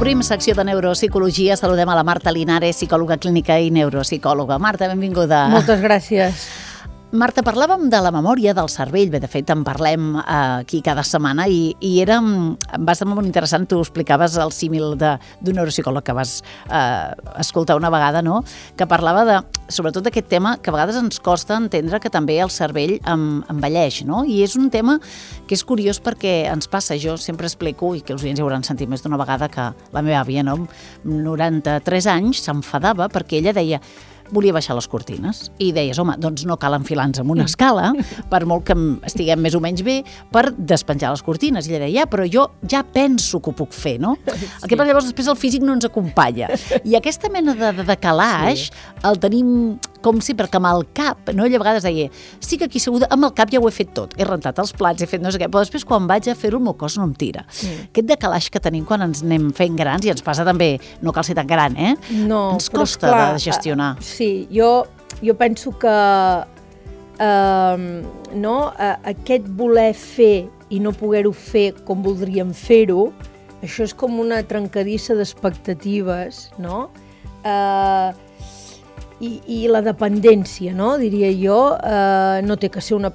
Obrim secció de neuropsicologia. Saludem a la Marta Linares, psicòloga clínica i neuropsicòloga. Marta, benvinguda. Moltes gràcies. Marta, parlàvem de la memòria del cervell. Bé, de fet, en parlem aquí cada setmana i va ser molt interessant. Tu explicaves el símil d'un neuropsicòleg que vas escoltar una vegada, no? Que parlava sobretot d'aquest tema que a vegades ens costa entendre que també el cervell envelleix, no? I és un tema que és curiós perquè ens passa. Jo sempre explico, i que els oients ja hauran sentit més d'una vegada, que la meva àvia, no, amb 93 anys, s'enfadava perquè ella deia volia baixar les cortines i deies, home, doncs no cal enfilar-nos amb una escala, per molt que estiguem més o menys bé, per despenjar les cortines. I ella deia, però jo ja penso que ho puc fer, no? Sí. El que passa llavors després el físic no ens acompanya. I aquesta mena de calaix el tenim com sempre, que amb el cap, no? Ella a vegades deia, sí que aquí asseguda, amb el cap ja ho he fet tot, he rentat els plats, he fet no sé què, però després quan vaig a fer-ho el meu cos no em tira. Aquest decalaix que tenim quan ens anem fent grans, i ens passa també, no cal ser tan gran, No, ens costa de gestionar. Sí, jo penso que aquest voler fer i no poder-ho fer com voldríem fer-ho, això és com una trencadissa d'expectatives, no? I la dependència, no? Diria jo, no té que ser una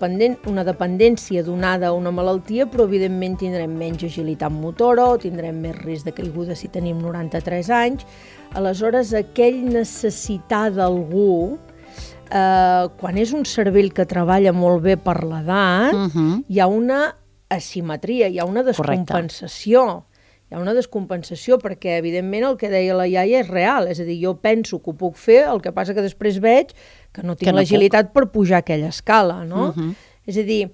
dependència donada a una malaltia, però evidentment tindrem menys agilitat motora o tindrem més risc de caiguda si tenim 93 anys. Aleshores, aquell necessitar d'algú, quan és un cervell que treballa molt bé per l'edat, hi ha una asimetria, hi ha una descompensació. Correcte. Hi ha una descompensació perquè, evidentment, el que deia la iaia és real. És a dir, jo penso que ho puc fer, el que passa que després veig que no tinc l'agilitat per pujar aquella escala, no? És a dir,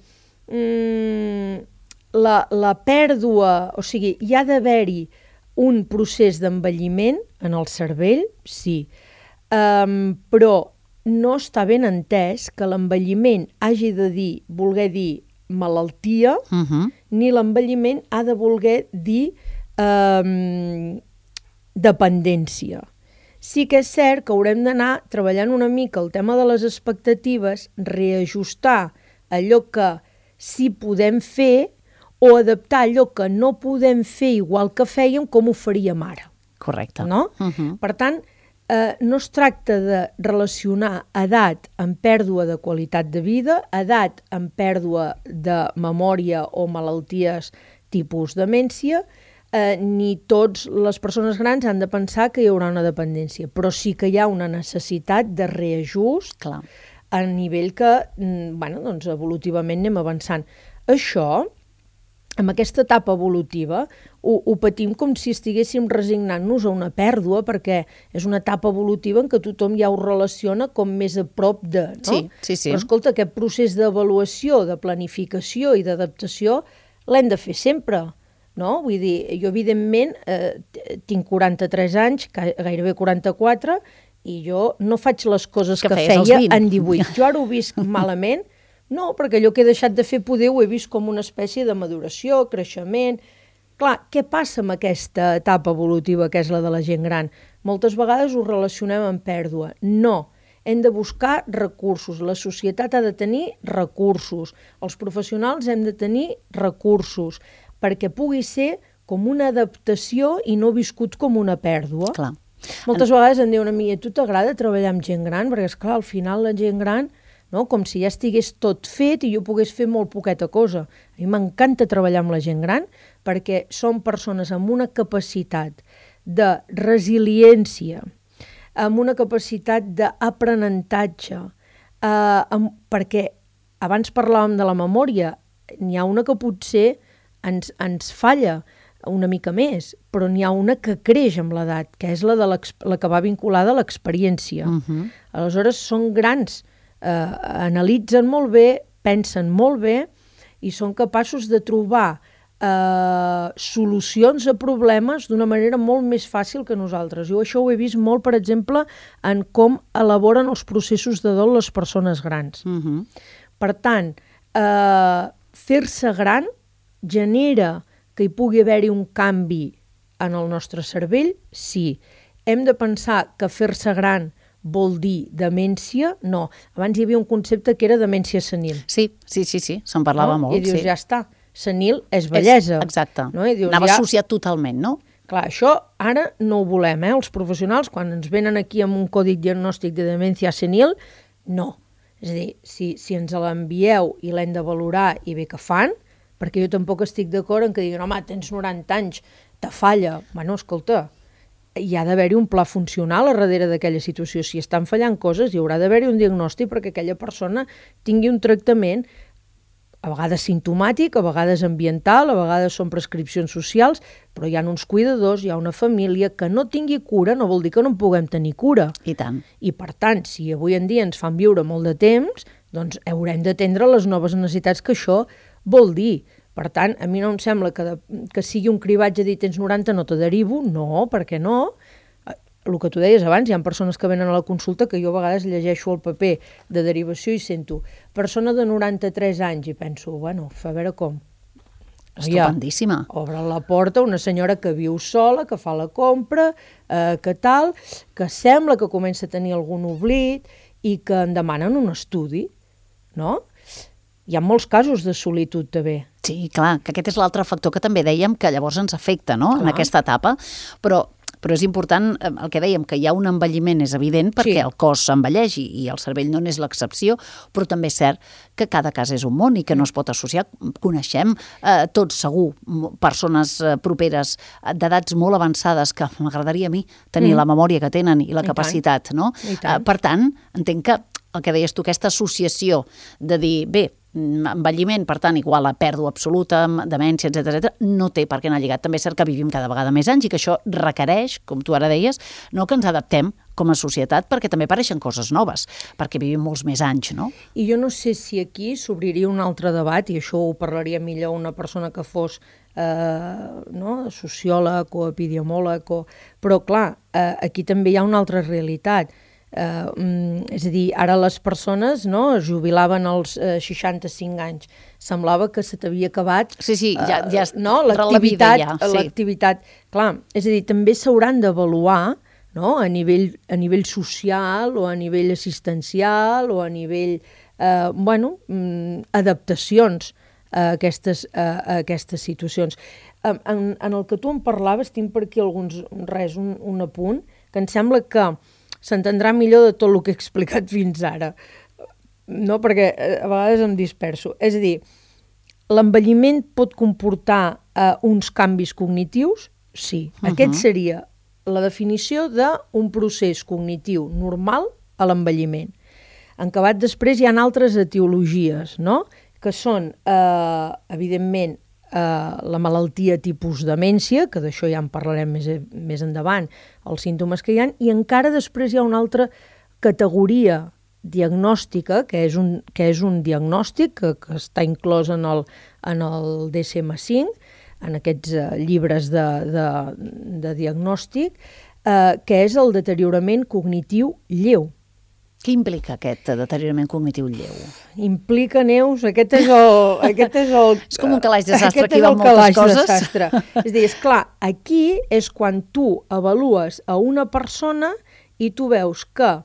la pèrdua... O sigui, hi ha d'haver-hi un procés d'envelliment en el cervell, sí, però no està ben entès que l'envelliment hagi de voler dir malaltia, ni l'envelliment ha de voler dir dependència. Sí que és cert que haurem d'anar treballant una mica el tema de les expectatives, reajustar allò que sí podem fer o adaptar allò que no podem fer igual que fèiem com ho faríem ara. Correcte. No? Per tant, no es tracta de relacionar edat amb pèrdua de qualitat de vida, edat amb pèrdua de memòria o malalties tipus demència, ni totes les persones grans han de pensar que hi haurà una dependència, però sí que hi ha una necessitat de reajust. Clar. A nivell que, doncs, evolutivament anem avançant. Això, amb aquesta etapa evolutiva, ho patim com si estiguéssim resignant-nos a una pèrdua, perquè és una etapa evolutiva en què tothom ja ho relaciona com més a prop de, no? Sí. Però escolta, aquest procés d'avaluació, de planificació i d'adaptació l'hem de fer sempre, no? Vull dir, jo evidentment tinc 43 anys, gairebé 44, i jo no faig les coses que feia en 18. Jo ara ho visc malament, no, perquè allò que he deixat de fer poder ho he vist com una espècie de maduració, creixement. Clar, què passa amb aquesta etapa evolutiva que és la de la gent gran? Moltes vegades ho relacionem amb pèrdua. No, hem de buscar recursos. La societat ha de tenir recursos. Els professionals hem de tenir recursos perquè pugui ser com una adaptació i no viscut com una pèrdua. Clar. Moltes vegades em diuen a mi, a tu t'agrada treballar amb gent gran? Perquè, esclar, al final la gent gran, no? Com si ja estigués tot fet i jo pogués fer molt poqueta cosa. A mi m'encanta treballar amb la gent gran perquè són persones amb una capacitat de resiliència, amb una capacitat d'aprenentatge, perquè abans parlàvem de la memòria, n'hi ha una que potser ens falla una mica més, però n'hi ha una que creix amb l'edat, que és la que va vinculada a l'experiència. Aleshores, són grans, analitzen molt bé, pensen molt bé i són capaços de trobar solucions a problemes d'una manera molt més fàcil que nosaltres. Jo això ho he vist molt, per exemple, en com elaboren els processos de dol les persones grans. Per tant, fer-se gran genera que hi pugui haver-hi un canvi en el nostre cervell? Sí. Hem de pensar que fer-se gran vol dir demència? No. Abans hi havia un concepte que era demència senil. Sí, se'n parlava molt. I dius, ja està, senil és vellesa. Exacte. No? Dius, anava associat totalment, no? Clar, això ara no ho volem, els professionals, quan ens venen aquí amb un còdic diagnòstic de demència senil, no. És a dir, si ens l'envieu i l'hem de valorar i bé que fan, perquè jo tampoc estic d'acord en que diguin, home, tens 90 anys, te falla. Bueno, escolta, hi ha d'haver-hi un pla funcional a darrere d'aquella situació. Si estan fallant coses, hi haurà d'haver-hi un diagnòstic perquè aquella persona tingui un tractament, a vegades simptomàtic, a vegades ambiental, a vegades són prescripcions socials, però hi ha uns cuidadors, hi ha una família que no tingui cura, no vol dir que no en puguem tenir cura. I tant. I per tant, si avui en dia ens fan viure molt de temps, doncs haurem d'atendre les noves necessitats que això vol dir. Per tant, a mi no em sembla que sigui un cribatge de dir tens 90, no te derivo, no, per què no? El que tu deies abans, hi ha persones que venen a la consulta que jo a vegades llegeixo el paper de derivació i sento persona de 93 anys i penso, bueno, a veure com. Estupendíssima. Obre la porta una senyora que viu sola, que fa la compra, que tal, que sembla que comença a tenir algun oblit i que en demanen un estudi, no? Hi ha molts casos de solitud també. Sí, clar, que aquest és l'altre factor que també dèiem que llavors ens afecta, no?, en aquesta etapa, però és important el que dèiem, que hi ha un envelliment, és evident, perquè el cos s'envelleix i el cervell no n'és l'excepció, però també és cert que cada cas és un món i que no es pot associar. Coneixem tots segur persones properes d'edats molt avançades que m'agradaria a mi tenir la memòria que tenen i la capacitat, no? Per tant, entenc que el que deies tu, aquesta associació de dir, bé, envelliment, per tant, igual a pèrdua absoluta, demència, etc., no té per què anar lligat. També és cert que vivim cada vegada més anys i que això requereix, com tu ara deies, no que ens adaptem com a societat, perquè també apareixen coses noves, perquè vivim molts més anys, no? I jo no sé si aquí s'obriria un altre debat, i això ho parlaria millor una persona que fos sociòleg o epidemiòleg, però clar, aquí també hi ha una altra realitat. És a dir, ara les persones es jubilaven als 65 anys. Semblava que se t'havia acabat l'activitat. Clar, és a dir, també s'hauran d'avaluar a nivell social o a nivell assistencial o a nivell, adaptacions a aquestes situacions. En el que tu em parlaves, tinc per aquí un apunt, que em sembla que s'entendrà millor de tot el que he explicat fins ara, no? Perquè a vegades em disperso. És a dir, l'envelliment pot comportar uns canvis cognitius? Sí. Aquest seria la definició d'un procés cognitiu normal a l'envelliment. Encabat després hi ha altres etiologies, no? Que són, evidentment, la malaltia tipus demència, que d'això ja en parlarem més endavant, els símptomes que hi ha, i encara després hi ha una altra categoria diagnòstica, que és un diagnòstic que està inclòs en el DSM-5, en aquests llibres de diagnòstic, que és el deteriorament cognitiu lleu. Què implica aquest deteriorament cognitiu lleu? Implica, Neus, aquest és el... És com un calaix de sastre, aquí val moltes coses. És a dir, esclar, aquí és quan tu avalues a una persona i tu veus que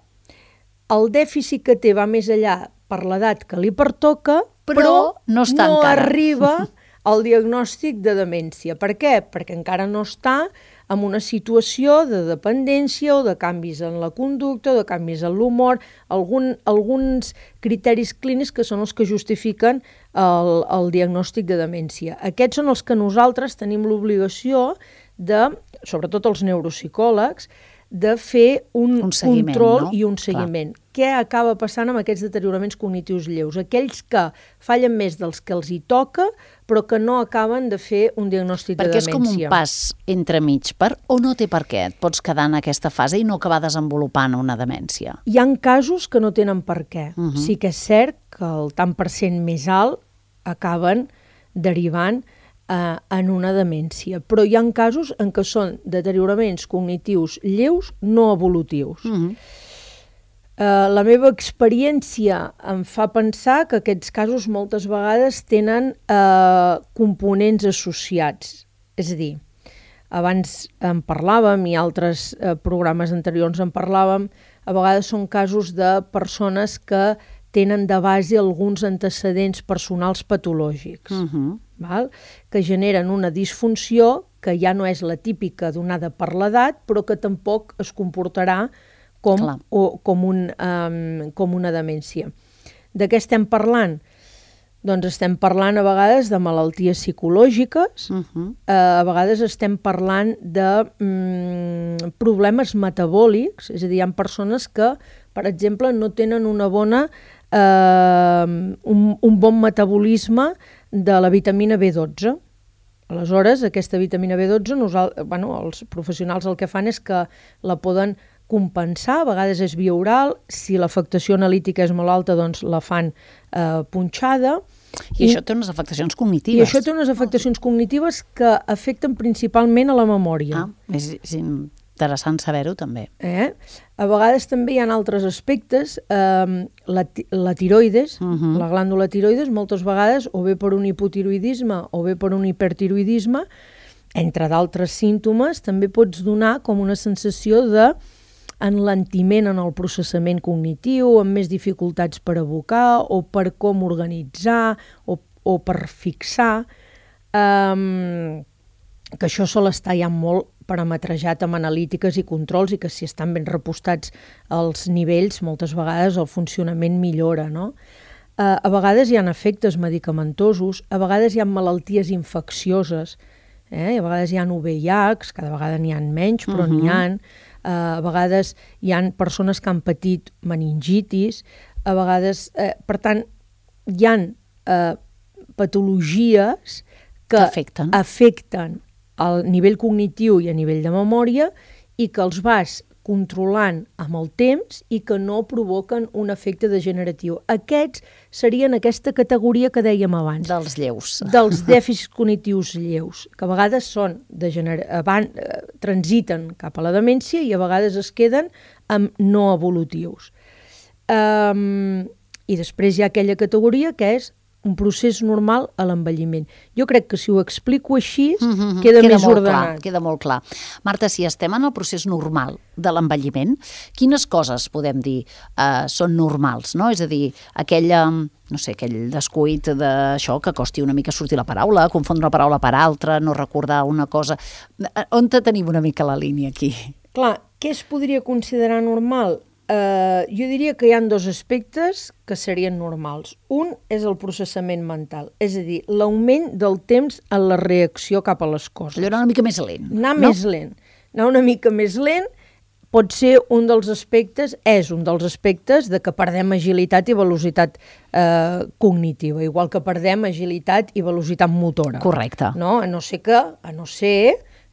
el dèficit que té va més enllà per l'edat que li pertoca, però no arriba al diagnòstic de demència. Per què? Perquè encara no està en una situació de dependència o de canvis en la conducta, de canvis en l'humor, alguns criteris clínics que són els que justifiquen el diagnòstic de demència. Aquests són els que nosaltres tenim l'obligació sobretot els neuropsicòlegs, de fer un control i un seguiment. Què acaba passant amb aquests deterioraments cognitius lleus? Aquells que fallen més dels que els hi toca, però que no acaben de fer un diagnòstic de demència. Perquè és com un pas entremig, o no té per què? Et pots quedar en aquesta fase i no acabar desenvolupant una demència? Hi ha casos que no tenen per què. Sí que és cert que el tant per cent més alt acaben derivant en una demència, però hi ha casos en què són deterioraments cognitius lleus no evolutius. La meva experiència em fa pensar que aquests casos moltes vegades tenen components associats. És a dir, abans en parlàvem i altres programes anteriors en parlàvem, a vegades són casos de persones que tenen de base alguns antecedents personals patològics. que generen una disfunció que ja no és la típica donada per l'edat, però que tampoc es comportarà com una demència. De què estem parlant? Doncs estem parlant a vegades de malalties psicològiques, a vegades estem parlant de problemes metabòlics, és a dir, hi ha persones que, per exemple, no tenen un bon metabolisme de la vitamina B12. Aleshores, aquesta vitamina B12, els professionals el que fan és que la poden compensar, a vegades és via oral, si l'afectació analítica és molt alta, doncs la fan punxada. I això té unes afectacions cognitives. I això té unes afectacions cognitives que afecten principalment a la memòria. És interessant saber-ho també. A vegades també hi ha altres aspectes. La tiroides, la glàndula tiroides, moltes vegades, o bé per un hipotiroidisme o bé per un hipertiroidisme, entre d'altres símptomes, també pots donar com una sensació de enlentiment en el processament cognitiu, amb més dificultats per evocar o per com organitzar o per fixar, que això sol estar ja molt parametrejat amb analítiques i controls i que si estan ben repostats els nivells, moltes vegades el funcionament millora, no? A vegades hi ha efectes medicamentosos, a vegades hi ha malalties infeccioses, a vegades hi ha VIH, cada vegada n'hi ha menys, però n'hi ha. A vegades hi ha persones que han patit meningitis, a vegades, per tant, hi ha patologies que afecten al nivell cognitiu i a nivell de memòria i que els vas controlant amb el temps i que no provoquen un efecte degeneratiu. Aquests serien aquesta categoria que dèiem abans. Dels lleus. Dels dèficits cognitius lleus, que a vegades transiten cap a la demència i a vegades es queden amb no evolutius. I després hi ha aquella categoria que és un procés normal a l'envelliment. Jo crec que si ho explico així queda més ordenat. Queda molt clar. Marta, si estem en el procés normal de l'envelliment, quines coses podem dir són normals, no? És a dir, aquell descuit d'això que costi una mica sortir la paraula, confondre una paraula per altra, no recordar una cosa. On tenim una mica la línia aquí? Clar, què es podria considerar normal? Jo diria que hi ha dos aspectes que serien normals. Un és el processament mental, és a dir, l'augment del temps en la reacció cap a les coses. Allò anar una mica més lent. Anar una mica més lent pot ser un dels aspectes, és un dels aspectes de que perdem agilitat i velocitat cognitiva, igual que perdem agilitat i velocitat motora. Correcte. No? A no ser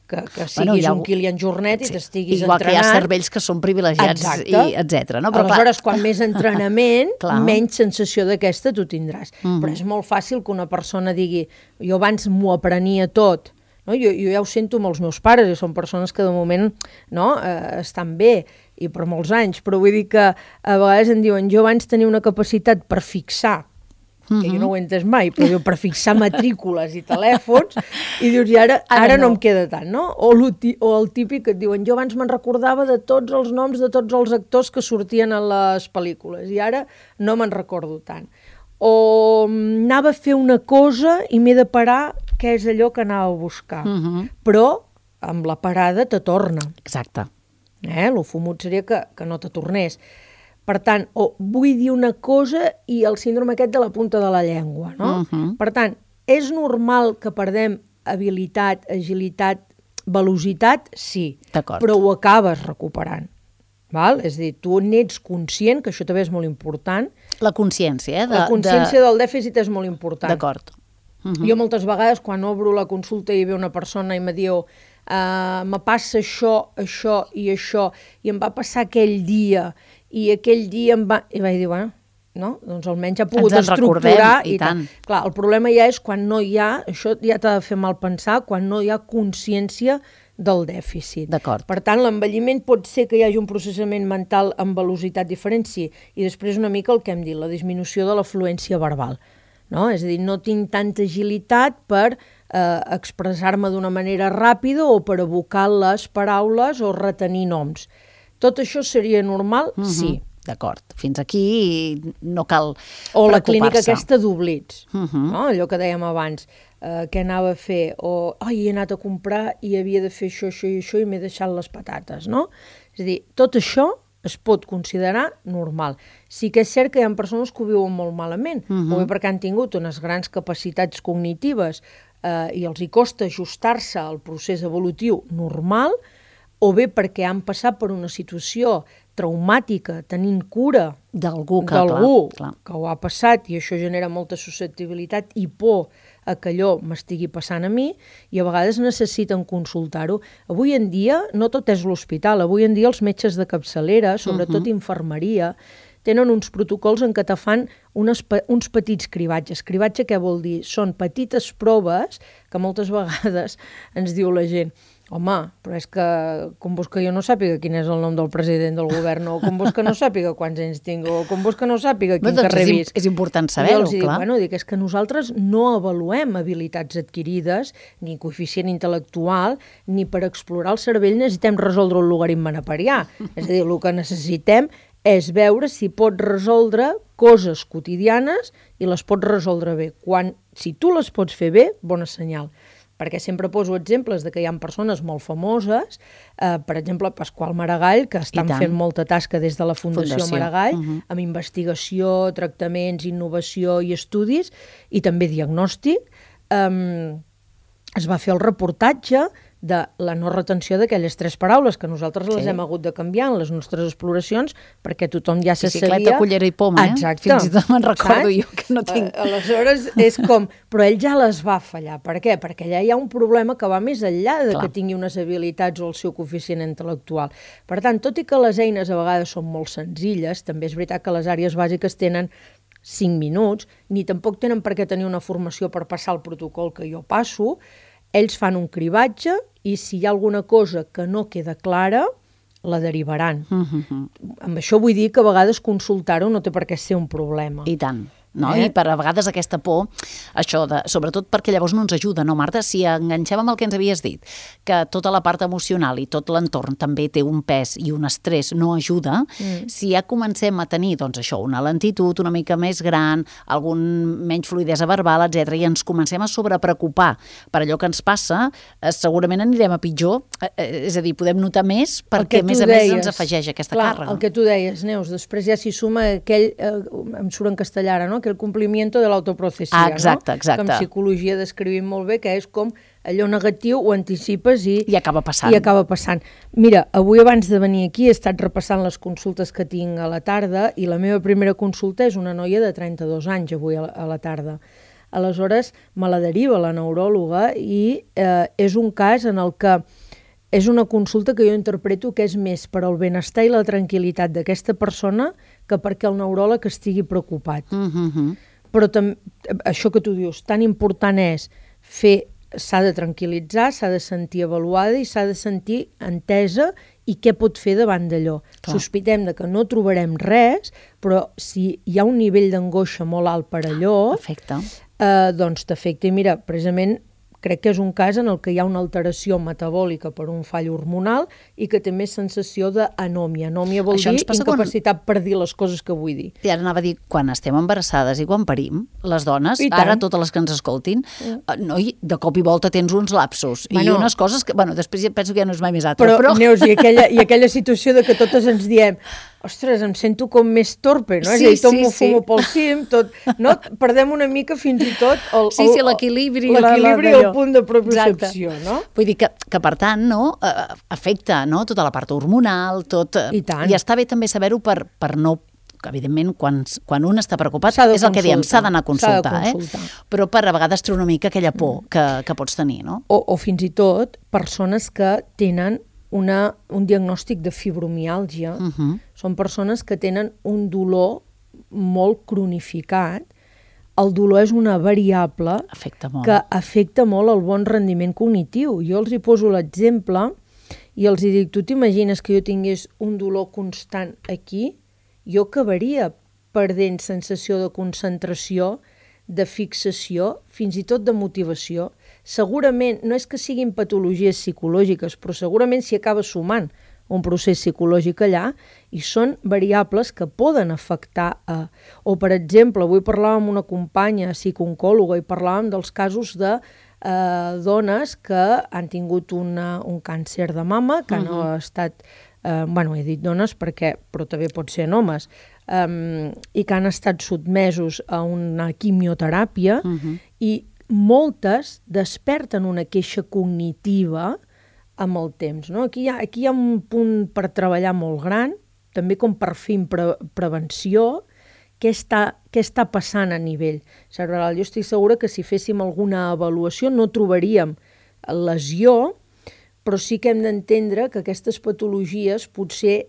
que siguis un Kilian Jornet i t'estiguis entrenant. Igual que hi ha cervells que són privilegiats, etc. No? Aleshores, quan més entrenament, menys sensació d'aquesta tu tindràs. Però és molt fàcil que una persona digui jo abans m'ho aprenia tot. No? Jo ja ho sento amb els meus pares, són persones que de moment estan bé i per molts anys, però vull dir que a vegades em diuen jo abans tenia una capacitat per fixar, que jo no ho he entès mai, però diu, per fixar matrícules i telèfons, i dius, i ara no em queda tant, no? O el típic que et diuen, jo abans me'n recordava de tots els noms de tots els actors que sortien a les pel·lícules, i ara no me'n recordo tant. O anava a fer una cosa i m'he de parar, què és allò que anava a buscar. Però amb la parada te torna. Exacte. Lo fumut seria que no te tornés. Per tant, vull dir una cosa i el síndrome aquest de la punta de la llengua, no? Per tant, és normal que perdem habilitat, agilitat, velocitat? Sí, però ho acabes recuperant. Val? És a dir, tu n'ets conscient, que això també és molt important. La consciència, La consciència del dèficit és molt important. D'acord. Jo moltes vegades, quan obro la consulta i ve una persona i me diu me passa això, això i això, i em va passar aquell dia, i aquell dia em va... I vaig dir, bueno, no? Doncs almenys ha pogut estructurar i tant. Clar, el problema ja és quan no hi ha, això ja t'ha de fer mal pensar, quan no hi ha consciència del dèficit. D'acord. Per tant, l'envelliment pot ser que hi hagi un processament mental amb velocitat diferent, sí, i després una mica el que hem dit, la disminució de la fluència verbal. No? És a dir, no tinc tanta agilitat per expressar-me d'una manera ràpida o per evocar les paraules o retenir noms. Tot això seria normal? Sí. d'acord. Fins aquí no cal o la preocupar-se. clínica aquesta d'oblits, no? Allò que dèiem abans, què anava a fer, o he anat a comprar i havia de fer això i això i m'he deixat les patates, no? És a dir, tot això es pot considerar normal. Sí que és cert que hi ha persones que ho viuen molt malament, o bé perquè han tingut unes grans capacitats cognitives i els hi costa ajustar-se al procés evolutiu normal, o bé perquè han passat per una situació traumàtica, tenint cura d'algú que ho ha passat, i això genera molta susceptibilitat i por a que allò m'estigui passant a mi, i a vegades necessiten consultar-ho. Avui en dia no tot és l'hospital, avui en dia els metges de capçalera, sobretot infermeria, tenen uns protocols en què te fan uns petits cribatges. Cribatge què vol dir? Són petites proves que moltes vegades ens diu la gent: home, però és que com vols que jo no sàpiga quin és el nom del president del govern, o com vols que no sàpiga quants anys tinc, o com vols que no sàpiga quin carrer visc. És important saber-ho, clar. Dic, és que nosaltres no avaluem habilitats adquirides, ni coeficient intel·lectual, ni per explorar el cervell necessitem resoldre un logaritme neperià. És a dir, el que necessitem és veure si pot resoldre coses quotidianes i les pot resoldre bé. Si tu les pots fer bé, bona senyal. Perquè sempre poso exemples de que hi ha persones molt famoses, per exemple, Pasqual Maragall, que estan fent molta tasca des de la Fundació Maragall, amb investigació, tractaments, innovació i estudis, i també diagnòstic. Es va fer el reportatge de la no retenció d'aquelles 3 paraules, que nosaltres les hem hagut de canviar en les nostres exploracions, perquè tothom ja se sabia... Bicicleta, cullera i poma, Exacte. Fins i tot me'n recordo jo que no tinc... Aleshores, és com... Però ell ja les va fallar. Per què? Perquè allà hi ha un problema que va més enllà de que tingui unes habilitats o el seu coeficient intel·lectual. Per tant, tot i que les eines a vegades són molt senzilles, també és veritat que les àrees bàsiques tenen 5 minuts, ni tampoc tenen per què tenir una formació per passar el protocol que jo passo. Ells fan un cribatge i si hi ha alguna cosa que no queda clara, la derivaran. Amb això vull dir que a vegades consultar-ho no té per què ser un problema. I tant. No? I per a vegades aquesta por, això sobretot perquè llavors no ens ajuda, no, Marta? Si enganxem amb el que ens havies dit, que tota la part emocional i tot l'entorn també té un pes i un estrès no ajuda, si ja comencem a tenir, doncs això, una lentitud una mica més gran, algun menys fluïdesa verbal, etc., i ens comencem a sobrepreocupar per allò que ens passa, segurament anirem a pitjor, és a dir, podem notar més perquè, a més ens afegeix aquesta càrrega. El que tu deies, Neus, després ja s'hi suma aquell, em surt en castellà ara, no?, que el complimiento de l'autoprocessia, exacte. Que en psicologia descrivim molt bé, que és com allò negatiu ho anticipes i acaba passant. Mira, avui abans de venir aquí he estat repassant les consultes que tinc a la tarda i la meva primera consulta és una noia de 32 anys avui a la tarda. Aleshores, me la deriva la neuròloga i és un cas en el que és una consulta que jo interpreto que és més per al benestar i la tranquil·litat d'aquesta persona que perquè el neuròleg estigui preocupat. Però això que tu dius, tan important és s'ha de tranquil·litzar, s'ha de sentir avaluada i s'ha de sentir entesa i què pot fer davant d'allò. Sospitem de que no trobarem res, però si hi ha un nivell d'angoixa molt alt per allò, doncs t'afecta. I mira, precisament crec que és un cas en el que hi ha una alteració metabòlica per un fall hormonal i que té més sensació d'anòmia. Anòmia vol dir incapacitat per dir les coses que vull dir. I ara anava a dir, quan estem embarassades i quan parim, les dones, ara totes les que ens escoltin, de cop i volta tens uns lapsos i unes coses que, després penso que ja no és mai més altre. Però Neus, i aquella situació de que totes ens diem ostres, em sento com més torpe, no? És a dir, tot m'ho fumo pel cim, no? Perdem una mica fins i tot l'equilibri i el punt de propiocepció, no? Vull dir que per tant, afecta tota la part hormonal, tot... I està bé també saber-ho per no... Evidentment, quan un està preocupat, és el que diem, s'ha d'anar a consultar, però per a vegades treure una mica aquella por que pots tenir, no? O fins i tot persones que tenen un diagnòstic de fibromiàlgia. Són persones que tenen un dolor molt cronificat. El dolor és una variable que afecta molt el bon rendiment cognitiu. Jo els hi poso l'exemple i els hi dic, tu t'imagines que jo tingués un dolor constant aquí? Jo acabaria perdent sensació de concentració, de fixació, fins i tot de motivació. Segurament, no és que siguin patologies psicològiques, però segurament s'hi acaba sumant un procés psicològic allà i són variables que poden afectar o, per exemple, avui parlàvem amb una companya psicooncòloga i parlàvem dels casos de dones que han tingut un càncer de mama, que no ha estat... he dit dones però també pot ser en homes, i que han estat sotmesos a una quimioteràpia i moltes desperten una queixa cognitiva amb el temps. No? Aquí hi ha un punt per treballar molt gran, també com per fer prevenció, què està passant a nivell cerebral. Jo estic segura que si féssim alguna avaluació no trobaríem lesió, però sí que hem d'entendre que aquestes patologies potser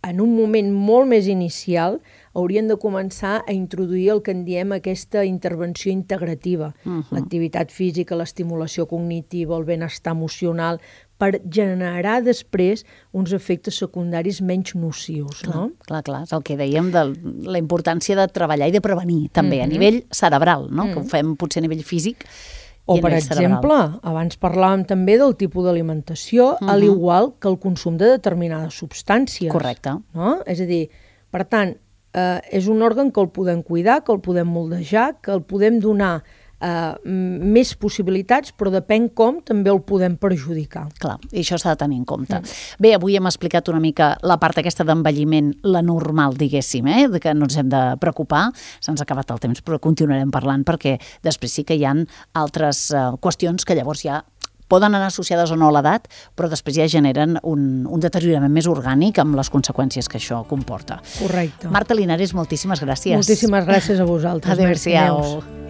en un moment molt més inicial haurien de començar a introduir el que en diem aquesta intervenció integrativa. L'activitat física, l'estimulació cognitiva, el benestar emocional, per generar després uns efectes secundaris menys nocius. Clar, és el que dèiem de la importància de treballar i de prevenir també a nivell cerebral, que ho fem potser a nivell físic. O, per exemple, abans parlàvem també del tipus d'alimentació, al igual que el consum de determinades substàncies. Correcte. No? És a dir, per tant, és un òrgan que el podem cuidar, que el podem moldejar, que el podem donar més possibilitats, però depèn com també el podem perjudicar. Clar, i això s'ha de tenir en compte. Bé, avui hem explicat una mica la part aquesta d'envelliment, la normal, diguéssim, de que no ens hem de preocupar. Se'ns ha acabat el temps, però continuarem parlant perquè després sí que hi ha altres qüestions que llavors ja poden anar associades o no a l'edat, però després ja generen un deteriorament més orgànic amb les conseqüències que això comporta. Correcte. Marta Linares, moltíssimes gràcies. Moltíssimes gràcies a vosaltres. Adéu-siau.